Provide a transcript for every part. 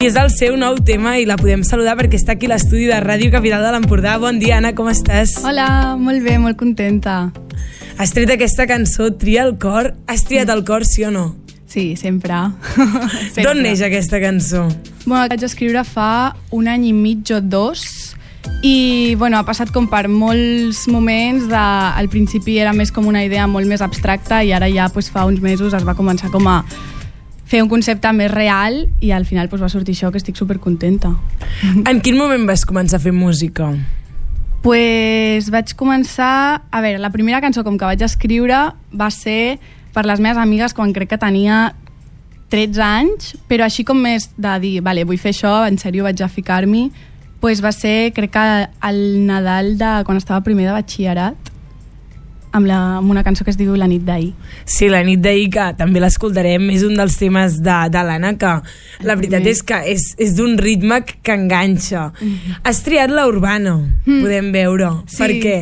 és el seu nou tema i la podem saludar perquè està aquí a l'estudi de Ràdio Capital de l'Empordà. Bon dia, Anna, com estàs? Hola, molt bé, molt contenta. Has tret aquesta cançó, Tria el cor. Has triat el cor, sí o no? Sí, sempre. D'on neix aquesta cançó? Bueno, la vaig escriure fa 1 any i mig o 2 i bueno, ha passat com per molts moments. Al principi era més com una idea molt més abstracta i ara ja fa uns mesos es va començar com a fer un concepte més real i al final va sortir això, que estic supercontenta. En quin moment vas començar a fer música? Vaig començar... A veure, la primera cançó com que vaig escriure va ser per les meves amigues quan crec que tenia 13 anys, però així com més de dir, vale, vull fer això, en sèrio vaig a ficar-m'hi, va ser, crec que el Nadal de quan estava primer de batxillerat, amb una cançó que es diu La nit d'ahir. Sí, La nit d'ahir, que també l'escoltarem, és un dels temes de l'Anna, que la veritat és que és d'un ritme que enganxa. Has triat la urbana, podem veure. Sí. Per què?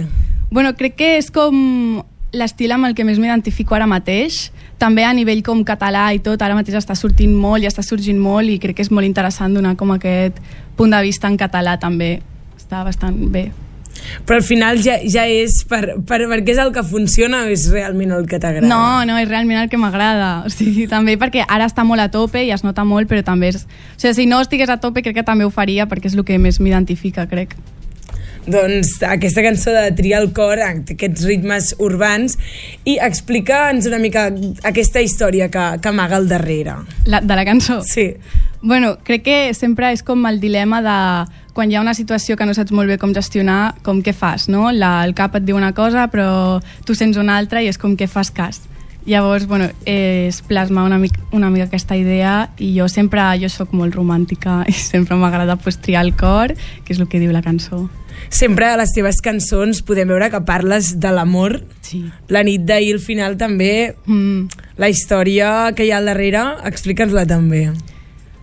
Bueno, crec que és com l'estil amb el que més m'identifico ara mateix. També a nivell com català i tot, ara mateix està sortint molt i està sorgint molt i crec que és molt interessant donar com aquest punt de vista en català també. Està bastant bé. Però al final ja és perquè és el que funciona o és realment el que t'agrada? No, és realment el que m'agrada. O sigui, també perquè ara està molt a tope i es nota molt, però també és... O sigui, si no estigués a tope crec que també ho faria perquè és el que més m'identifica, crec. Doncs aquesta cançó de Tria el cor, aquests ritmes urbans, i explica'ns una mica aquesta història que amaga al darrere. De la cançó? Sí. Bueno, crec que sempre és com el dilema de quan hi ha una situació que no saps molt bé com gestionar, com què fas, no? El cap et diu una cosa però tu sents una altra i és com què fas cas. Llavors, bueno, es plasma una mica aquesta idea i jo soc molt romàntica i sempre m'agrada triar el cor, que és el que diu la cançó. Sempre a les teves cançons podem veure que parles de l'amor. Sí. La nit d'ahir, al final, també. La història que hi ha al darrere, explica'ns-la també.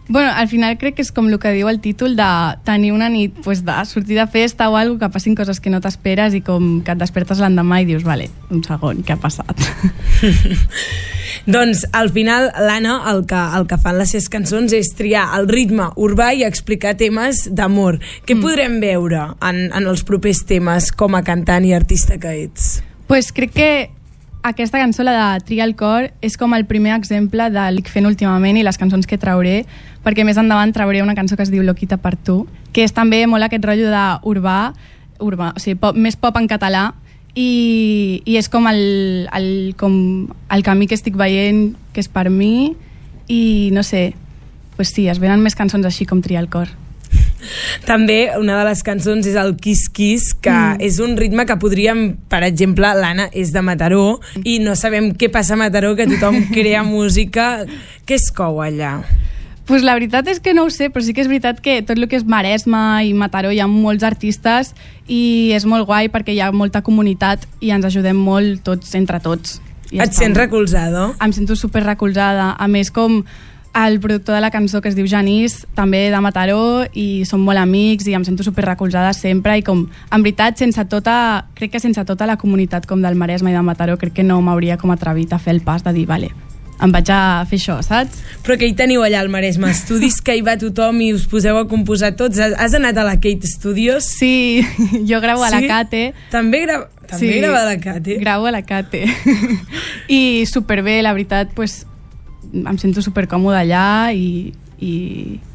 Bueno, al final crec que és com el que diu el títol de tenir una nit, de sortir de festa o alguna cosa, que passin coses que no t'esperes i com que et despertes l'endemà i dius, vale, un segon, què ha passat? Doncs al final l'Anna el que fan les seves cançons és triar el ritme urbà i explicar temes d'amor. Què podrem veure en els propers temes com a cantant i artista que ets? Crec que aquesta cançó, la de Tria el cor, és com el primer exemple del que fent últimament i les cançons que trauré, perquè més endavant trauré una cançó que es diu Loquita per tu, que és també molt aquest rotllo d'urbà, o sigui, més pop en català, i és com el camí que estic veient, que és per mi, i no sé, sí, es venen més cançons així com Tria el cor. També una de les cançons és el Kiss Kiss, que és un ritme que podríem, per exemple, l'Anna és de Mataró i no sabem què passa a Mataró, que tothom crea música. Què es cou allà? La veritat és que no ho sé, però sí que és veritat que tot el que és Maresme i Mataró hi ha molts artistes i és molt guai perquè hi ha molta comunitat i ens ajudem molt tots entre tots. Et sents recolzada? Em sento super recolzada. A més, com el productor de la cançó, que es diu Janís, també de Mataró, i som molt amics i em sento super recolzada sempre i com, en veritat, crec que sense tota la comunitat com del Maresme i de Mataró, crec que no m'hauria com atrevit a fer el pas de dir, vale, em vaig a fer això, saps? Però que hi teniu allà al Maresme? Estudis que hi va tothom i us poseu a composar tots? Has anat a la Kate Studios? Sí, jo gravo a la Cate. També grava a la Cate? Gravo a la Cate. I superbé, la veritat, em sento supercòmoda allà i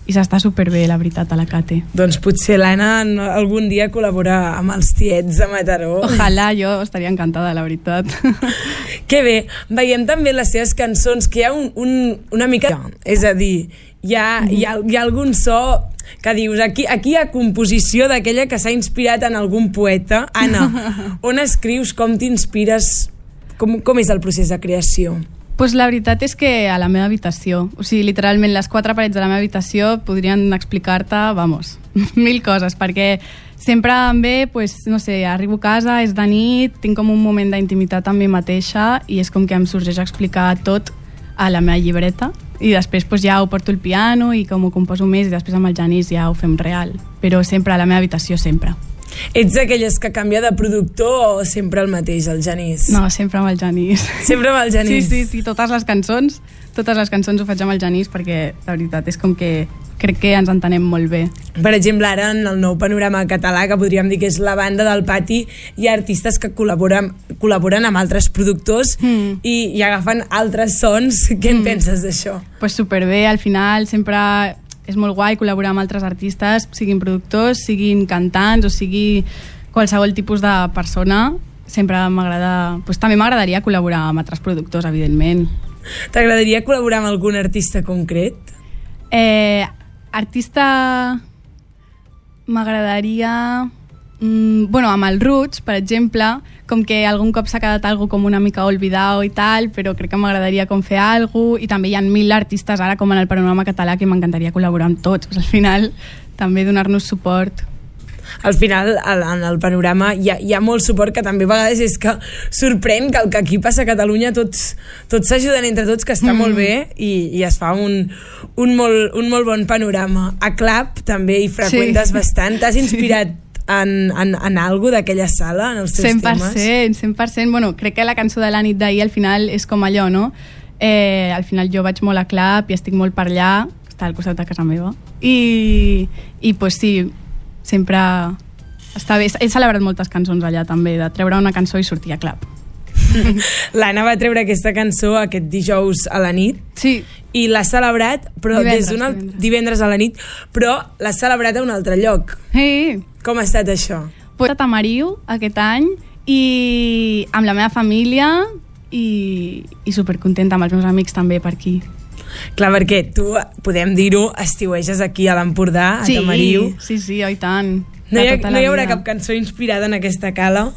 s'està superbé, la veritat, a la Cate. Doncs potser l'Anna algun dia col·labora amb els tiets de Mataró. Ojalà, jo estaria encantada, la veritat. Que bé, veiem també les seves cançons que hi ha una mica... És a dir, hi ha algun so que dius, aquí hi ha composició d'aquella que s'ha inspirat en algun poeta. Anna, on escrius, com t'inspires, com és el procés de creació? La veritat és que a la meva habitació, o sigui, literalment les 4 parets de la meva habitació podrien explicar-te, mil coses, perquè sempre em ve, no sé, arribo a casa, és de nit, tinc com un moment d'intimitat amb mi mateixa i és com que em sorgeix a explicar tot a la meva llibreta i després ja ho porto al piano i com ho composo més i després amb el Janís ja ho fem real, però sempre a la meva habitació, sempre. Ets d'aquelles que canvia de productor o sempre el mateix, el Genís? No, sempre amb el Genís. Sempre amb el Genís? Sí, totes les cançons ho faig amb el Genís perquè, la veritat, és com que crec que ens entenem molt bé. Per exemple, ara en el nou panorama català, que podríem dir que és la banda del pati, hi ha artistes que col·laboren amb altres productors i agafen altres sons. Què en penses d'això? Pues superbé, al final sempre és molt guai col·laborar amb altres artistes, siguin productors, siguin cantants o sigui qualsevol tipus de persona. Sempre m'agrada, pues també m'agradaria col·laborar amb altres productors, evidentment. T'agradaria col·laborar amb algun artista concret? Artista m'agradaria amb el Roots, per exemple, com que algun cop s'ha quedat algo com una mica olvidado i tal, però crec que m'agradaria com fer alguna cosa, i també hi ha 1000 artistes ara com en el panorama català que m'encantaria col·laborar amb tots. Al final també donar-nos suport. Al final, en el panorama hi ha molt suport, que també a vegades és que sorprèn que el que aquí passa a Catalunya tots s'ajuden entre tots, que està molt bé i es fa un molt bon panorama. A Clap també hi freqüentes bastant. T'has inspirat en algo d'aquella sala, en els teus 100%, 100%. Bueno, crec que la cançó de la nit d'ahir al final és com allò, no? Al final jo vaig molt a Clap i estic molt per allà, està al costat de casa meva. I pues sí, sempre està bé. He celebrat moltes cançons allà també, de treure una cançó i sortir a Clap. L'Anna va treure aquesta cançó aquest dijous a la nit. Sí. I l'ha celebrat, però divendres a la nit, però l'ha celebrat a un altre lloc. Sí. Com ha estat això? Pues a Tamariu aquest any i amb la meva família i supercontenta amb els meus amics també per aquí. Clar, perquè tu, podem dir-ho, estiueges aquí a l'Empordà, a Tamariu. Sí, oi tant. No hi haurà cap cançó inspirada en aquesta cala?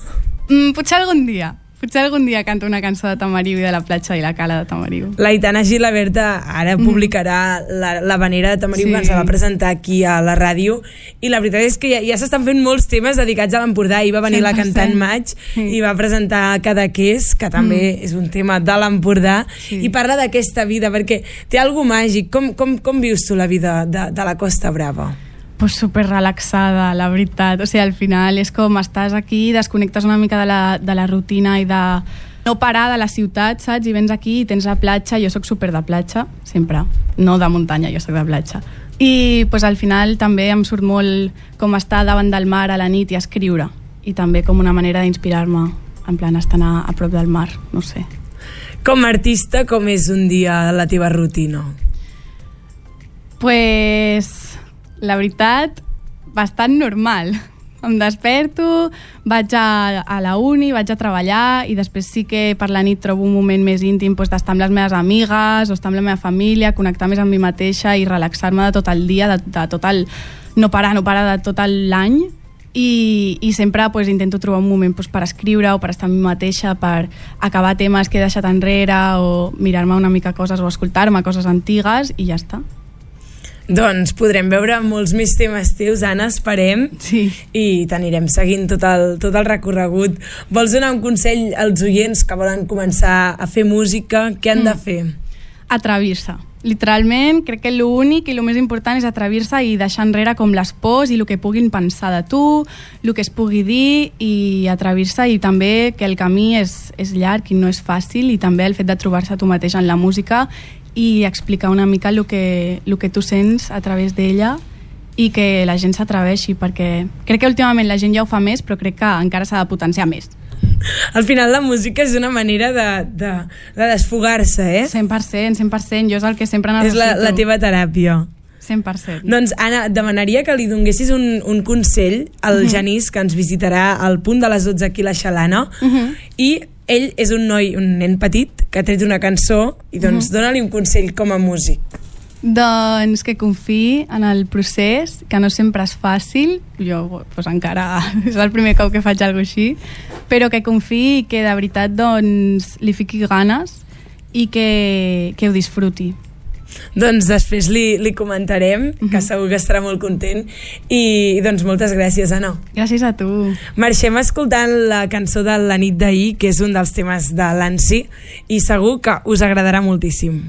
Potser algun dia canto una cançó de Tamariu i de la platja i la cala de Tamariu. L'Aitana Gilaberta ara publicarà la Vanera de Tamariu, que ens va presentar aquí a la ràdio, i la veritat és que ja s'estan fent molts temes dedicats a l'Empordà. Ahir va venir 100%. La cantant Maig i va presentar Cadaqués, que també és un tema de l'Empordà, i parla d'aquesta vida, perquè té algo màgic. Com vius tu la vida de la Costa Brava? Pues super relaxada, la veritat. O sigui, al final és com estàs aquí, desconnectes una mica de la rutina i de no parar de la ciutat, saps? I vens aquí i tens la platja. Jo sóc super de platja, sempre. No de muntanya, jo sóc de platja. I pues, al final també em surt molt com estar davant del mar a la nit i escriure. I també com una manera d'inspirar-me, en plan estar a prop del mar, no sé. Com a artista, com és un dia a la teva rutina? Pues la veritat, bastant normal. Em desperto, vaig a la uni, vaig a treballar i després sí que per la nit trobo un moment més íntim d'estar amb les meves amigues o estar amb la meva família, connectar més amb mi mateixa i relaxar-me de tot el dia, de tot el no parar de tot l'any i sempre intento trobar un moment per escriure o per estar amb mi mateixa, per acabar temes que he deixat enrere o mirar-me una mica coses o escoltar-me coses antigues i ja està. Doncs podrem veure molts més temes teus, Anna, esperem, i t'anirem seguint tot el recorregut. Vols donar un consell als oients que volen començar a fer música? Què han de fer? Atrevir-se. Literalment, crec que l'únic i el més important és atrevir-se i deixar enrere com les pors i el que puguin pensar de tu, el que es pugui dir, i atrevir-se, i també que el camí és llarg i no és fàcil, i també el fet de trobar-se tu mateix en la música i explicar una mica el que tu sents a través d'ella i que la gent s'atreveixi, perquè crec que últimament la gent ja ho fa més, però crec que encara s'ha de potenciar més. Al final la música és una manera de desfogar-se, eh? 100%, jo és el que sempre necessito. És la teva teràpia. 100%. Doncs, Anna, demanaria que li donessis un consell al Genís, que ens visitarà al punt de les 12 aquí a la Xalana, i ell és un nen petit que ha tret una cançó i doncs dona-li un consell com a músic. Doncs que confiï en el procés, que no sempre és fàcil, jo encara és el primer cop que faig alguna cosa així, però que confiï i que de veritat li fiqui ganes i que ho disfruti. Doncs després li comentarem, que segur que estarà molt content, i doncs moltes gràcies, Anna. Gràcies a tu. Marxem escoltant la cançó de la nit d'ahir, que és un dels temes de l'Ansi, i segur que us agradarà moltíssim.